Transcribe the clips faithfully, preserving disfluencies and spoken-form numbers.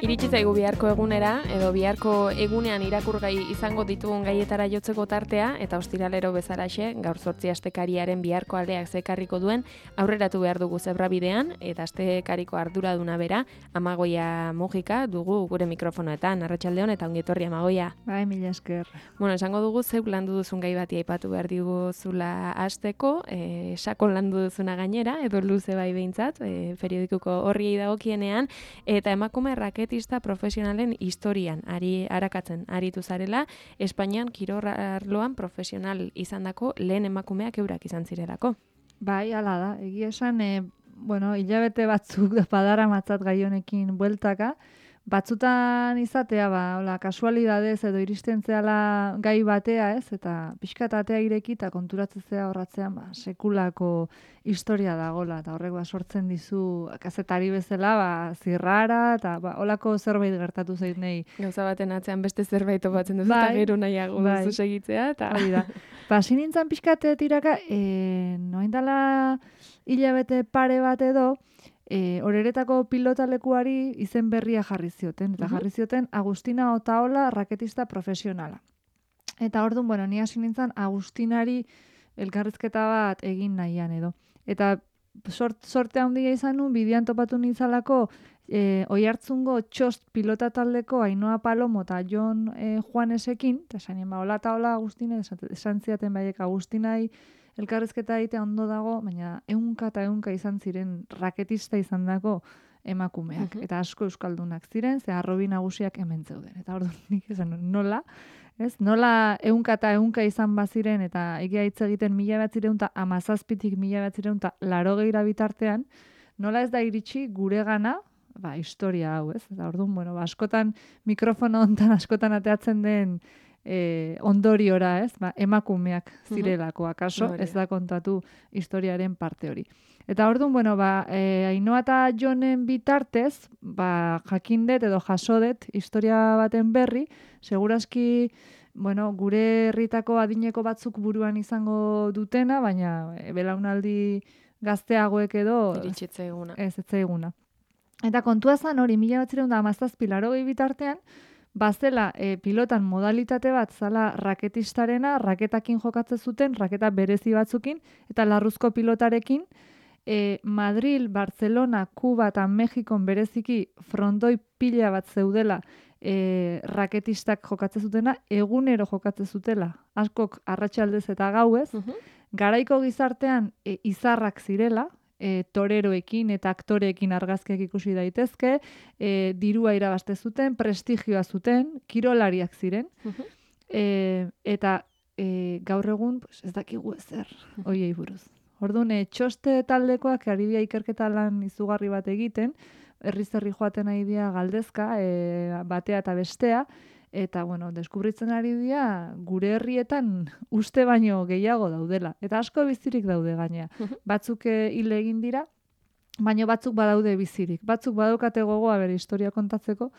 Iritsi zaigu biharko egunera, edo biharko egunean irakurgai izango ditugun gaietara jotzeko tartea, eta ostiralero bezalaxe, gaur zortzi astekariaren biharko aldeak zekarriko duen, aurreratu behar dugu zebrabidean, eta astekariko arduraduna bera, Amagoia Mujika dugu gure mikrofonoetan, arratsaldeon eta ongetorri Amagoia. Bai, mila esker. Bueno, esango dugu zeuk landu duzun gai bati aipatu behar diguzula hasteko, e, sakon landu duzuna gainera, edo luze bai behintzat, e, periodikuko horriei dagokienean, eta emakume raketista profesionalen historian ari arakatzen aritu zarela, Espainian kirol arloan profesional izandako lehen emakumeak eurak izan zirelako. Bai, hala da. Egia esan, e, bueno, hilabete batzuk badara matzat gai honekin bueltaka, batzutan izatea, ba, hola, kasualidadez edo iristen zehala gai batea, ez? Eta pixkat atea ireki eta konturatzea horratzean, ba, sekulako historia dagola, eta horrek ba, sortzen dizu kazetari bezala, ba, zirrara, eta ba, holako zerbait gertatu zait nahi. Gauza baten atzean beste zerbait topatzen duzu, Bai, eta gero nahiago bai. duzu segitzea, eta... Hori da. Ba, sinintzan pixkat tiraka, e, noin dala hilabete pare bat edo, E, horeretako pilotalekuari izen berria jarri zioten, eta jarri zioten Agustina Otaola raketista profesionala. Eta orduan, bueno, ni hasi nintzen Agustinari elkarrizketa bat egin nahian edo. Eta sort, sorte handia izan nun, bidean topatu nintzalako e, Oiartzungo txost pilota taldeko Ainhoa Palomo eta Jon e, Juanesekin, eta esan ba, hola eta hola Agustina, esan ziaten baiek Agustinai, elkarrizketa egitea ondo dago, baina ehunka eta ehunka izan ziren raketista izan dako emakumeak. Uh-huh. Eta asko euskaldunak ziren, ze arrobi nagusiak hemen zeuden. Eta orduan nik esan nola, ez? Nola ehunka eta ehunka izan baziren, eta egia hitz egiten mila batzireun eta amazazpitik mila batzireun eta laro gehiara bitartean, nola ez da iritsi gure gana, ba, historia hau, ez? Eta orduan, bueno, ba, askotan mikrofono hontan askotan ateatzen den E, ondoriora, ez? Ba, emakumeak zirelako, akaso, ez da kontatu historiaren parte hori. Eta orduan, bueno, ba, e, Ainhoa eta Jonen bitartez, ba, jakindet edo jasodet historia baten berri, segurazki, bueno, gure herritako adineko batzuk buruan izango dutena, baina e, belaunaldi gazteagoek edo... Iritsitze eguna. Ez, ez eguna. Eta kontua zan hori, mila batzireun da amazazpi larogei bitartean, bazela e, pilotan modalitate bat zala raketistarena, raketakin jokatzen zuten, raketa berezi batzukin, eta larruzko pilotarekin, e, Madril, Barcelona, Kuba eta Mexikon bereziki frontoi pila bat zeudela e, raketistak jokatzen zutena, egunero jokatzen zutela, askok arratsaldez eta gauez, uh-huh. Garaiko gizartean e, izarrak zirela, E, toreroekin eta aktoreekin argazkiak ikusi daitezke, e, dirua irabazte zuten, prestigioa zuten, kirolariak ziren, uh-huh. e, eta e, gaur egun pues, ez dakigu ezer hoiei buruz. Orduan, e, txoste taldekoak aribia ikerketa lan izugarri bat egiten, herri-zerri joaten ari dira galdezka, e, batea eta bestea, eta, bueno, deskubritzen ari dira gure herrietan uste baino gehiago daudela. Eta asko bizirik daude gaina. Batzuk hil egin dira, baino batzuk badaude bizirik. Batzuk badaukate gogoa bere historia kontatzeko,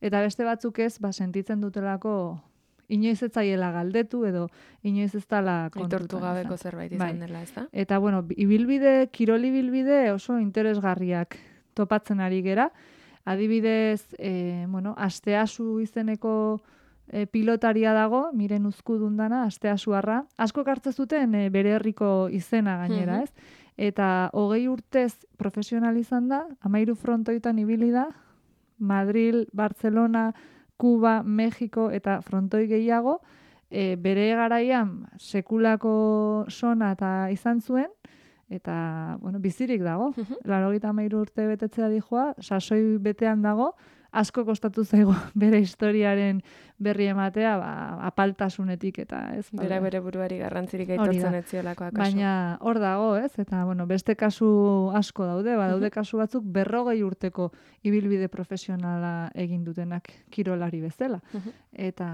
eta beste batzuk ez, ba, sentitzen dutelako inoiz ez zaiela galdetu, edo inoiz ez dala kontutan. Aitortu gabeko zerbait izan bai. dela, ez da? Eta, bueno, ibilbide, kirol ibilbide oso interesgarriak topatzen ari gera. Adibidez, e, bueno, Asteasu izeneko e, pilotaria dago, Miren Uzkudun dana, Asteasuarra. Asko hartzen zuten e, bere herriko izena gainera, ez? Eta hogei urtez profesional izan da, hamairu frontoitan ibili da, Madril, Barcelona, Kuba, Mexiko eta frontoi gehiago, e, bere garaian sekulako sona eta izan zuen, eta, bueno, bizirik dago. Uh-huh. Laurogeita hamairu urte betetzea dijoa, sasoi betean dago, asko kostatu zaigu bere historiaren berri ematea, ba, apaltasunetik eta ez. Bera bere buruari garrantzirik aitortzen ez ziolako akaso. Baina hor dago, ez? Eta, bueno, beste kasu asko daude, ba, daude kasu batzuk berrogei urteko ibilbide profesionala egin dutenak kirolari bezala. Uh-huh. Eta,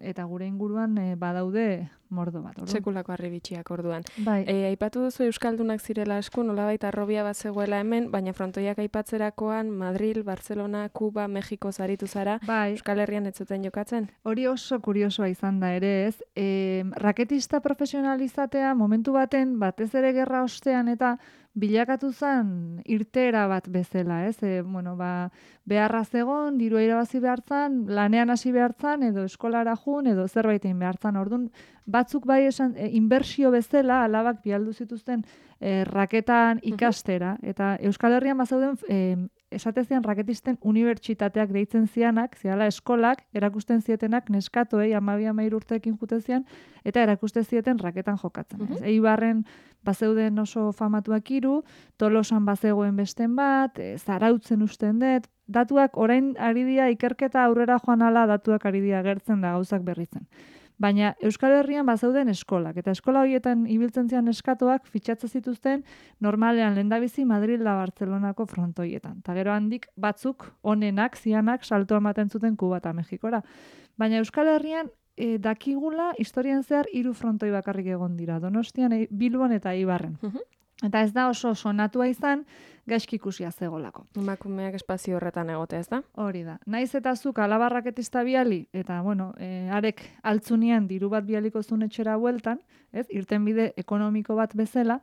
eta gure inguruan e, badaude mordo bat. Orduan. Sekulako harribitxiak orduan. Bai. E, aipatu duzu euskaldunak zirela asko, nolabait arrobia bat zegoela hemen, baina frontoiak aipatzerakoan Madril, Barcelona, Kuba, Mexiko zaritu zara, bai. Euskal Herrian ez zuten jokatzen? Hori oso kuriosoa izan da ere, ez? E, raketista profesionalizatea momentu baten, batez ere gerra ostean eta bilakatu zen irteera bat bezala, ez? E, bueno, ba, beharra zegon, dirua irabazi behartzan, lanean hasi behartzan, edo eskolara jun, edo zerbait egin behartzan. Orduan, batzuk bai esan, e, inbertsio bezala, alabak bialdu zituzten e, raketan ikastera, eta Euskal Herrian bazauden e, esatezian raketisten unibertsitateak deitzen zianak, ziala eskolak, erakusten zietenak neskatoei amabi amair urteekin jutezian, eta erakusten zieten raketan jokatzen. Uh-huh. Eibarren bazeuden oso famatuak hiru, Tolosan bazegoen besten bat, e, Zarautzen usten dut, datuak orain ari dira ikerketa aurrera joan ala datuak ari dira gertzen da gauzak berritzen. Baina Euskal Herrian bazeuden eskolak, eta eskola horietan ibiltzen zian eskatoak fitxatze zituzten normalean lehendabizi Madrid da Bartzelonako frontoietan. Ta gero handik batzuk onenak, zianak salto ematen zuten Kuba eta Mexikora. Baina Euskal Herrian e, dakigula historian zehar hiru frontoi bakarrik egon dira, Donostian, e, Bilbon eta Eibarren. Uh-huh. Eta ez da oso sonatua izan, gaizki ikusia zegolako. Emakumeak espazio horretan egote, ez da? Hori da. Naiz eta zuk alabarraketista biali, eta, bueno, e, arek altzunean diru bat bialiko zuen etxera bueltan, ez, irten bide ekonomiko bat bezala,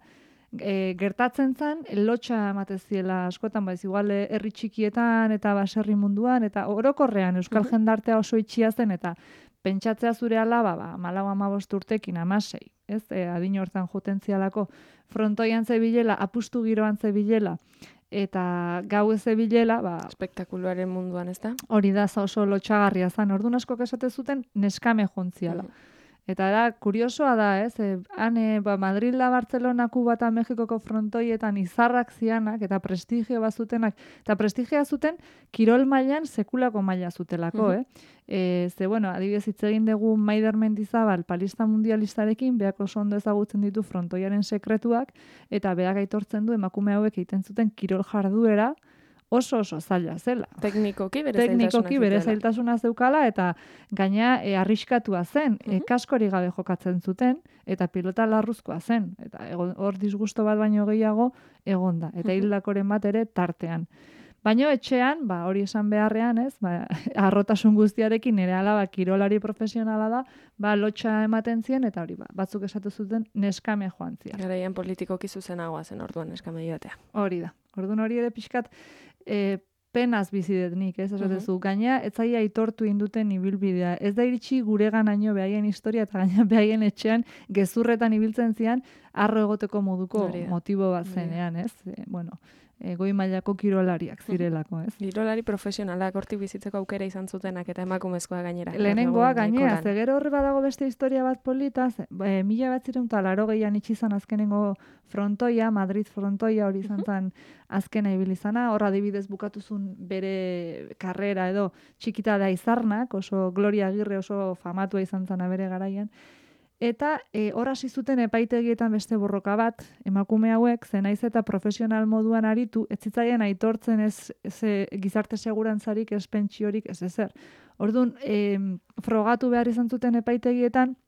e, gertatzen zen, lotxa emateziela askotan, baiz, igual herri txikietan eta baserri munduan, eta orokorrean Euskal jendartea oso itxia zen, eta pentsatzea zure alaba, ba, malau amabost urtekin, amasei, ez, e, adin hortan joten zialako, frontoian zebilela, apustu giroan zebilela, eta gau ez zebilela, ba... Espektakuluaren munduan, ez da? Hori da, oso lotxagarria zan, orduan askok esate zuten neskame jontziala. Uh-huh. Eta da, kuriosoa da, ez, e, hane, ba, Madrid da Bartzelona, Kuba eta Mexikoko frontoietan izarrak zianak, eta prestigio bazutenak, eta prestigioa zuten, kirol mailan sekulako maila zutelako, uh-huh. eh? E, ze, bueno, adibidez hitz egin dugu Maider Mendizabal palista mundialistarekin, beak oso ondo ezagutzen ditu frontoiaren sekretuak, eta beak aitortzen du emakume hauek egiten zuten kirol jarduera, oso oso zaila zela. Teknikoki bere Teknikoki bere zailtasuna zeukala, eta gaina e, arriskatua zen, e, kaskori gabe jokatzen zuten, eta pilota larruzkoa zen, eta hor disgusto bat baino gehiago egonda, eta hildakoren bat ere tartean. Baina etxean, ba, hori esan beharrean, ez, ba, arrotasun guztiarekin nire alaba kirolari profesionala da, ba, lotxa ematen zien, eta hori, ba, batzuk esatu zuten neskame joan zian. Garaian politikoki zuzenagoa zen orduan neskame joatea. Hori da. Orduan hori ere pixkat e, penaz bizidet nik, ez, esatezu. Uh-huh. Gaina, ez zaila aitortu induten ibilbidea. Ez da iritsi gureganaino behaien historia, eta gaina behaien etxean gezurretan ibiltzen zian, arro egoteko moduko motibo bat zenean, ez? E, bueno... E, goi mailako kirolariak zirelako, ez? Kirolari profesionalak hortik bizitzeko aukera izan zutenak eta emakumezkoa gainera. Lehenengoa gainera, ze gero horre badago beste historia bat polita, ze, e, mila bat ziren eta laro gehian itxizan azkenengo frontoia, Madrid frontoia hori izan zen azkena ibilizana, horra adibidez bukatuzun bere karrera edo txikita da izarnak, oso Gloria Agirre oso famatua izan zen bere garaian. Eta e, hor hasi zuten epaitegietan beste borroka bat, emakume hauek, ze naiz eta profesional moduan aritu, ez zitzaien aitortzen ez, ez gizarte segurantzarik, ez pentsiorik, ez ezer. Orduan, e, frogatu behar izan zuten epaitegietan,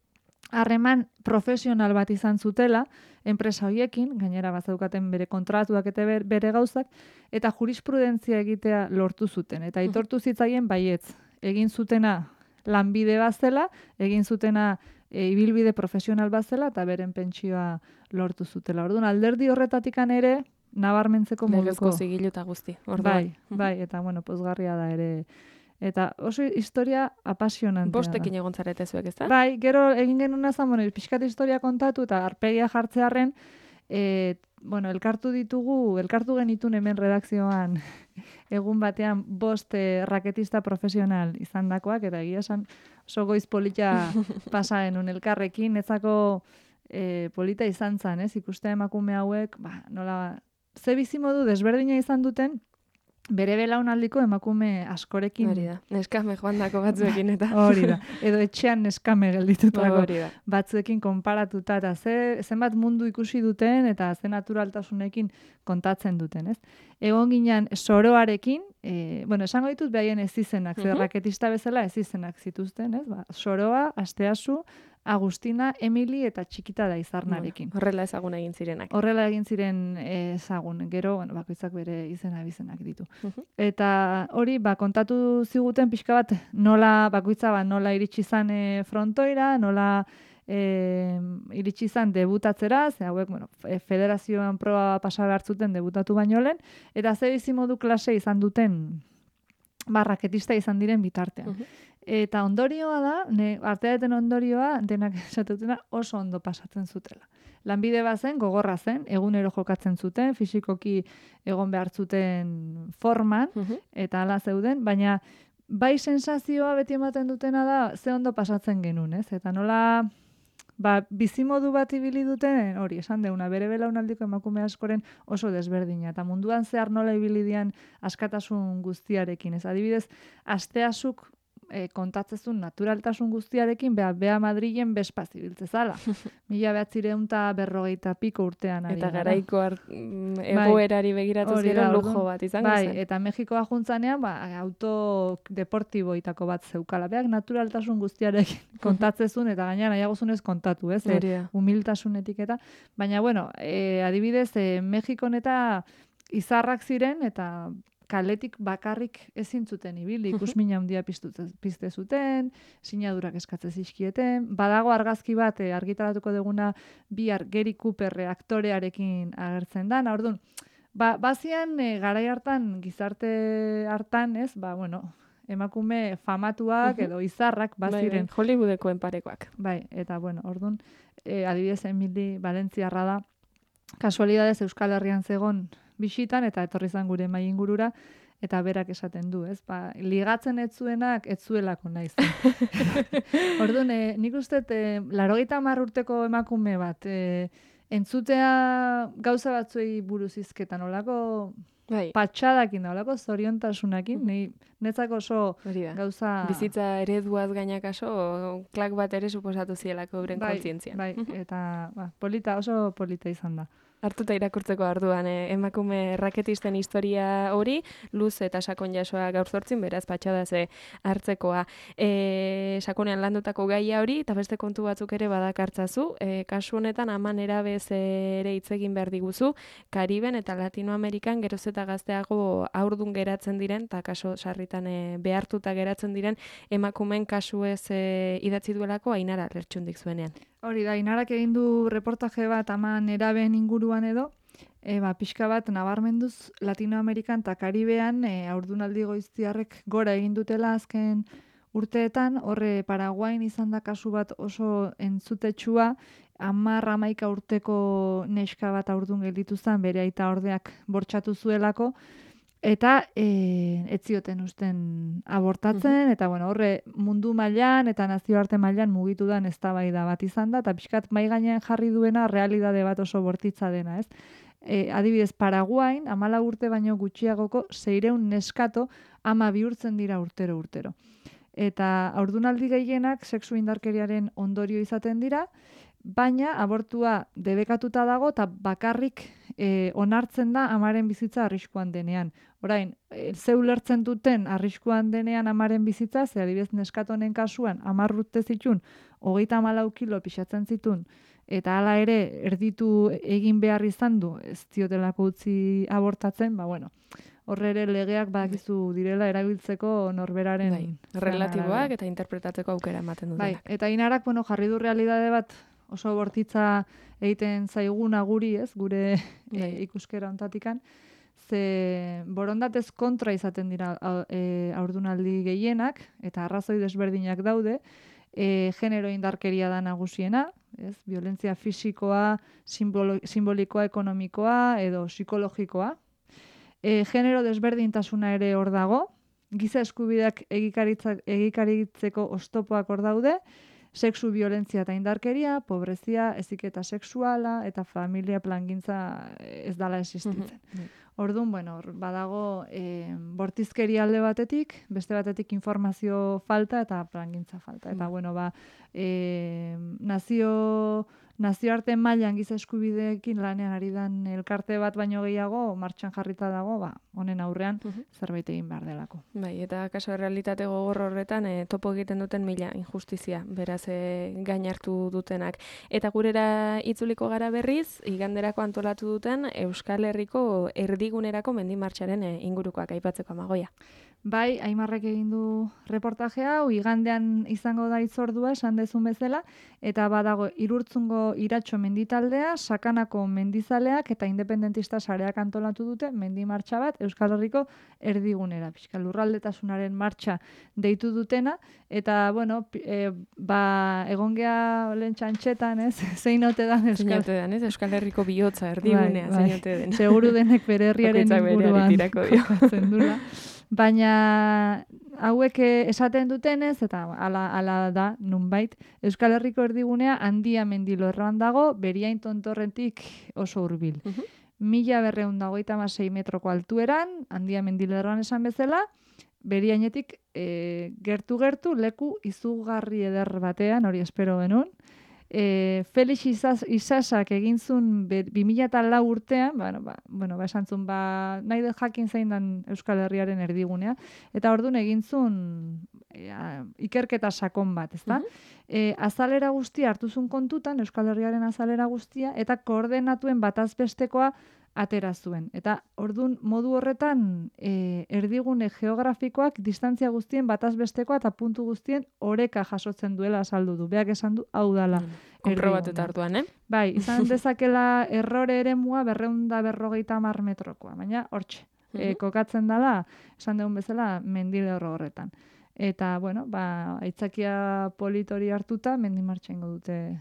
harreman profesional bat izan zutela, enpresa hoiekin, gainera bazaukaten bere kontratuak eta bere gauzak, eta jurisprudentzia egitea lortu zuten. Eta aitortu zitzaien baietz, egin zutena lanbide bazela, egin zutena E, ibilbide profesional bazela eta beren pentsioa lortu zutela. Orduan, alderdi horretatikan ere, nabarmentzeko moduko. Legezko zigilu eta guzti. Orduan. Bai, bai, eta bueno, pozgarria da ere. Eta oso historia apasionantea. Bostekin egon zarete zuek, ez da? Bai, gero egin genuen azan, bueno, pixkat historia kontatu eta arpegia jartzearen, e, bueno, elkartu ditugu, elkartu genitun hemen redakzioan egun batean bost eh, raketista profesional izandakoak, eta egia esan oso goiz polita pasa genuen elkarrekin, ezako eh, polita izan zen, ez? Ikuste emakume hauek, ba, nola, ze bizimodu desberdina izan duten, bere belaunaldiko emakume askorekin. Hori da, neskame joan dako batzuekin eta. Hori da, edo etxean neskame gelditutako Hori da. batzuekin konparatuta, eta ze, zenbat mundu ikusi duten, eta ze naturaltasunekin kontatzen duten, ez? Egon ginen soroarekin, e, bueno, esango ditut behaien ez izenak, ze raketista bezala ez izenak zituzten, ez? Ba, Soroa, Asteasu, Agustina, Emili eta Txikita da Izarnarekin. Bueno, horrela ezagun egin zirenak. Horrela egin ziren ezagun. Gero, bueno, bakoitzak bere izena bizenak ditu. Eta hori, ba, kontatu ziguten pixka bat nola, bakoitza ba, nola iritsi izan e, frontoira, nola e, iritsi izan debutatzera, ze hauek, bueno, federazioan proba pasa hartzuten debutatu baino lehen, eta ze bizimodu klase izan duten ba, raketista izan diren bitartean. Eta ondorioa da, ne, arteaten ondorioa, denak esatutena oso ondo pasatzen zutela. Lanbide bazen, gogorra zen, egunero jokatzen zuten, fisikoki egon behar zuten forman, eta hala zeuden, baina bai sensazioa beti ematen dutena da, ze ondo pasatzen genuen, ez? Eta nola, ba, bizimodu bat ibili duten, hori, esan deuna, bere belaunaldiko emakume askoren oso desberdina, eta munduan zehar nola ibili dian askatasun guztiarekin, ez? Adibidez, Asteasuk E, kontatzezun naturaltasun guztiarekin, beha, beha Madrilen bezpaz ibiltzezala. Mila behatzireun eta berrogeita piko urtean. Ari, eta garaiko egoerari begiratu ziren lujo bat izango bai, zen. Eta Mexikoa juntzanean, ba, auto deportiboitako bat zeukala. Beak naturaltasun guztiarekin kontatzezun, eta gaina nahiagozunez kontatu, ez? E, humiltasunetik eta. Baina, bueno, e, adibidez, e, Mexikon eta izarrak ziren, eta kaletik bakarrik ezin zuten ibili, ikusmina handia pizte zuten, sinadurak eskatze zizkieten, badago argazki bat eh, argitaratuko duguna bihar Gary Cooper aktorearekin agertzen da, orduan, ba, bazian eh, garai hartan, gizarte hartan, ez, ba, bueno, emakume famatuak edo izarrak baziren. Bai, Hollywoodeko parekoak. Bai, eta bueno, orduan, eh, adibidez Emili Valentziarra da, kasualidadez Euskal Herrian zegon bisitan, eta etorri zan gure mai ingurura, eta berak esaten du, ez? Ba, ligatzen ez zuenak, ez zuelako naiz. Orduan, e, nik uste, e, laurogeita hamar urteko emakume bat, e, entzutea gauza batzuei buruz hizketan, olako bai. Patxadakin da, olako zoriontasunakin, uh-huh. netzako oso gauza... Bizitza ereduaz gainakaso, klak bat ere suposatu zielako euren bai, kontzientzian. Bai, eta ba, polita, oso polita izan da. Hartuta irakurtzeko arduan, eh, emakume raketisten historia hori, luz eta sakon jasoa gaur zortzin, beraz patxada ze hartzekoa. E, sakonean landutako gaia hori, eta beste kontu batzuk ere badakartzazu, e, kasu honetan aman erabez ere hitz egin behar diguzu, Kariben eta Latinoamerikan geroz eta gazteago aurdun geratzen diren, eta kaso sarritan e, behartuta geratzen diren, emakumen kasu ez e, idatzi duelako Ainara Lertxundik zuenean. Hori da, Ainarak egin du reportaje bat aman eraben inguruan edo, e, ba, pixka bat nabarmenduz Latinoamerikan eta Karibean e, aurdunaldi goiztiarrek gora egin dutela azken urteetan, horre Paraguain izan da kasu bat oso entzutetsua, hamar hamaika urteko neska bat aurdun gelditu zen, bere aita ordeak bortxatu zuelako, eta e, ez zioten usten abortatzen, eta bueno, horre mundu mailan eta nazioarte mailan mugitu da eztabaida bat izan da, eta pixkat mai gainean jarri duena realidade bat oso bortitza dena, ez? E, adibidez, Paraguain, hamalau urte baino gutxiagoko seiehun neskato ama bihurtzen dira urtero urtero. Eta haurdunaldi gehienak sexu indarkeriaren ondorio izaten dira, baina abortua debekatuta dago eta bakarrik e, onartzen da amaren bizitza arriskuan denean. Orain, e, ze ulertzen duten arriskuan denean amaren bizitza, ze adibidez neskatonen kasuan hamar urte zitun, hogeita hamalau kilo pixatzen zitun, eta hala ere erditu egin behar izan du, ez diotelako utzi abortatzen, ba bueno, horre ere legeak badakizu direla erabiltzeko norberaren... Bai, relatiboak eta interpretatzeko aukera ematen dutenak. Bai, eta Ainarak, bueno, jarri du realidade bat oso bortitza egiten zaiguna guri, ez, gure e, ikuskera ontatikan, ze borondatez kontra izaten dira e, haurdunaldi gehienak, eta arrazoi desberdinak daude, e, genero indarkeria da nagusiena, ez, violentzia fisikoa, simbolo, simbolikoa, ekonomikoa, edo psikologikoa. E, genero desberdintasuna ere hor dago, giza eskubideak egikaritzeko oztopoak hor daude, sexu violentzia eta indarkeria, pobrezia, heziketa sexuala eta familia plangintza ez dala existitzen. Mm-hmm. Orduan, bueno, badago e, bortizkeria alde batetik, beste batetik informazio falta eta plangintza falta. Eta, mm. bueno, ba, e, nazio nazioarte mailan giza eskubideekin lanean ari dan elkarte bat baino gehiago martxan jarrita dago, ba, honen aurrean uh -huh. zerbait egin behar delako. Bai, eta kaso realitate gogor horretan e, topo egiten duten mila injustizia, beraz e, gain hartu dutenak. Eta gurera itzuliko gara berriz, iganderako antolatu duten Euskal Herriko erdigunerako mendimartxaren e, ingurukoak aipatzeko Amagoia. Bai, Aimarrek egin du reportaje hau, igandean izango da itzordua, esan dezun bezala, eta badago Irurtzungo Iratxo menditaldea, Sakanako mendizaleak eta independentista sareak antolatu dute mendi martxa bat Euskal Herriko erdigunera. Pixka lurraldetasunaren martxa deitu dutena, eta, bueno, e, ba, egongea lehen txantxetan, ez? Zein ote dan Euskal... Zein ez? Euskal Herriko bihotza erdigunea, bai, zein ote den. Seguru denek bere herriaren inguruan kokatzen dula. Baina hauek esaten dutenez, eta ala, ala da, nunbait, Euskal Herriko erdigunea handia mendilorroan dago, Beriain tontorretik oso hurbil. Uh -huh. Mila berreun dagoita masei metroko altueran, handia mendilorroan esan bezala, Beriainetik e, gertu-gertu leku izugarri eder batean, hori espero genuen. E, Felix Isas, Isasak egin zuen bi mila lau urtean, bueno, ba, bueno, ba, esan zuen, ba, nahi dut jakin zein dan Euskal Herriaren erdigunea, eta orduan egin zuen e, ikerketa sakon bat, ezta? Uh -huh. e, azalera guztia hartu zuen kontutan, Euskal Herriaren azalera guztia, eta koordenatuen batazbestekoa atera zuen. Eta ordun modu horretan e, erdigune geografikoak distantzia guztien batazbestekoa eta puntu guztien oreka jasotzen duela azaldu du. Beak esan du hau dala. Mm. Konprobatuta hartuan, eh? Bai, izan dezakela errore eremua berrehun eta berrogeita hamar metrokoa, baina hortxe. Mm -hmm. e, kokatzen dala, esan dugun bezala, mendilerro horretan. Eta, bueno, ba, aitzakia politori hartuta, mendimartxa ingo dute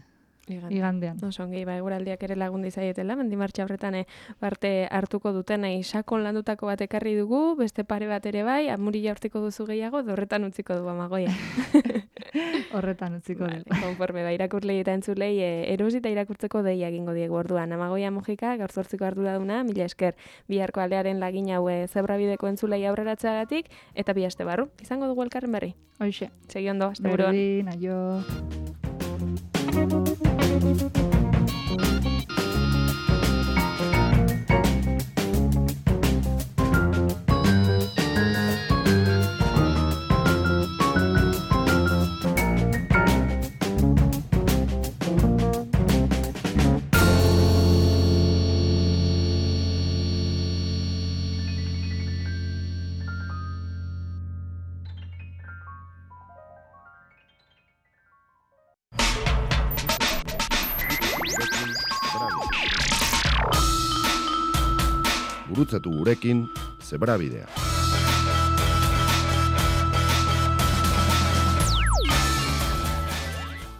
igandean. Oso ongi, ba, eguraldiak ere lagundi zaietela, mendimartxa horretan e, parte hartuko duten e, sakon landutako bat ekarri dugu, beste pare bat ere bai, amurila hortiko duzu gehiago, horretan utziko du Amagoia. Horretan utziko du. Vale, konforme, ba, irakurlei eta entzulei e, erosita irakurtzeko deia egingo diegu orduan. Amagoia Mujika, gaur zortziko arduraduna, mila esker, biharko aldearen lagin haue zebrabideko entzulei aurreratzagatik, eta bi aste barru. Izango dugu elkarren berri. Hoxe. Segi ondo, aste buruan. Berdin, aio. Gurutzatu gurekin Zebrabidea.